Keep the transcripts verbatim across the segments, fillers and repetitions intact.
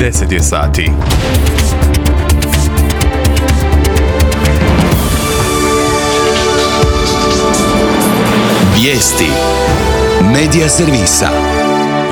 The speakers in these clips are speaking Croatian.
deset je sati. Vijesti Medija servisa.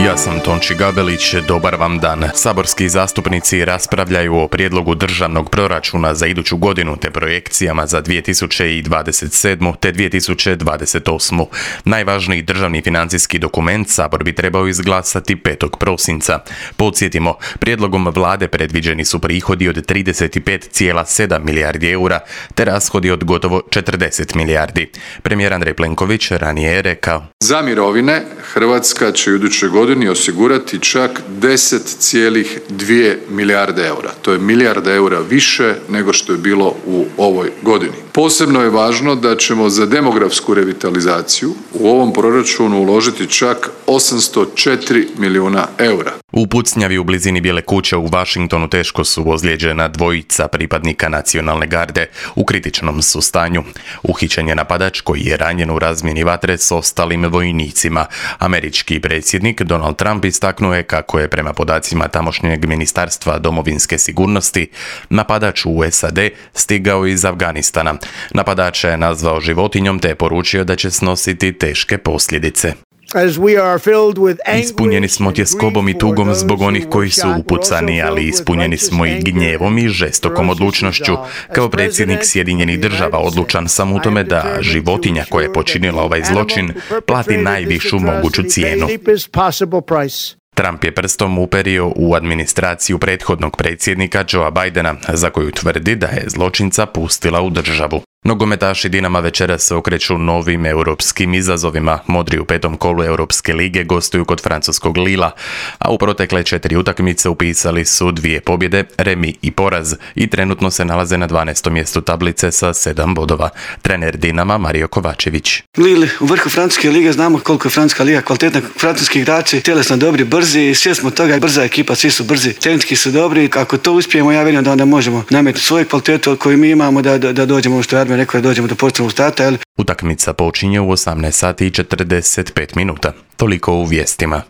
Ja sam Tonči Gabelić, dobar vam dan. Saborski zastupnici raspravljaju o prijedlogu državnog proračuna za iduću godinu te projekcijama za dvije tisuće dvadeset sedmu. te dvije tisuće dvadeset osmu. Najvažniji državni financijski dokument Sabor bi trebao izglasati petog prosinca. Podsjetimo, prijedlogom vlade predviđeni su prihodi od trideset pet zarez sedam milijardi eura te rashodi od gotovo četrdeset milijardi. Premijer Andrej Plenković ranije je rekao: Za mirovine Hrvatska će u idućoj godini osigurati čak deset zarez dvije milijarde eura. To je milijarda eura više nego što je bilo u ovoj godini. Posebno je važno da ćemo za demografsku revitalizaciju u ovom proračunu uložiti čak osamsto četiri milijuna eura. U pucnjavi u blizini Bijele kuće u Washingtonu teško su ozlijeđena dvojica pripadnika nacionalne garde. U kritičnom su stanju. Uhićen je napadač koji je ranjen u razmjeni vatre s ostalim vojnicima. Američki predsjednik Donald Trump istaknuo je kako je prema podacima tamošnjeg ministarstva domovinske sigurnosti napadač u S A D stigao iz Afganistana. Napadača je nazvao životinjom te je poručio da će snositi teške posljedice. Ispunjeni smo tjeskobom i tugom zbog onih koji su upucani, ali ispunjeni smo i gnjevom i žestokom odlučnošću. Kao predsjednik Sjedinjenih Država odlučan sam u tome da životinja koja je počinila ovaj zločin plati najvišu moguću cijenu. Trump je prstom uperio u administraciju prethodnog predsjednika Joea Bidena, za koju tvrdi da je zločinca pustila u državu. Nogometaši Dinama večeras se okreću novim europskim izazovima. Modri u petom kolu Europske lige gostuju kod francuskog Lila, a u protekle četiri utakmice upisali su dvije pobjede, remi i poraz i trenutno se nalaze na dvanaestom mjestu tablice sa sedam bodova. Trener Dinama Mario Kovačević. Lille u vrhu francuske lige, znamo koliko je francuska liga kvalitetna, francuski igrači tjelesno dobri, brzi, svi smo toga, brza ekipa, svi su brzi, tehnički su dobri. Ako to uspijemo, ja vjerujem da onda možemo nametiti svoju kvalitetu koju mi imamo da, da, da dođemo što je rekao da dođemo do pozitivnog starta. Jel? Utakmica počinje u osamnaest sati i četrdeset pet minuta. Toliko u vijestima.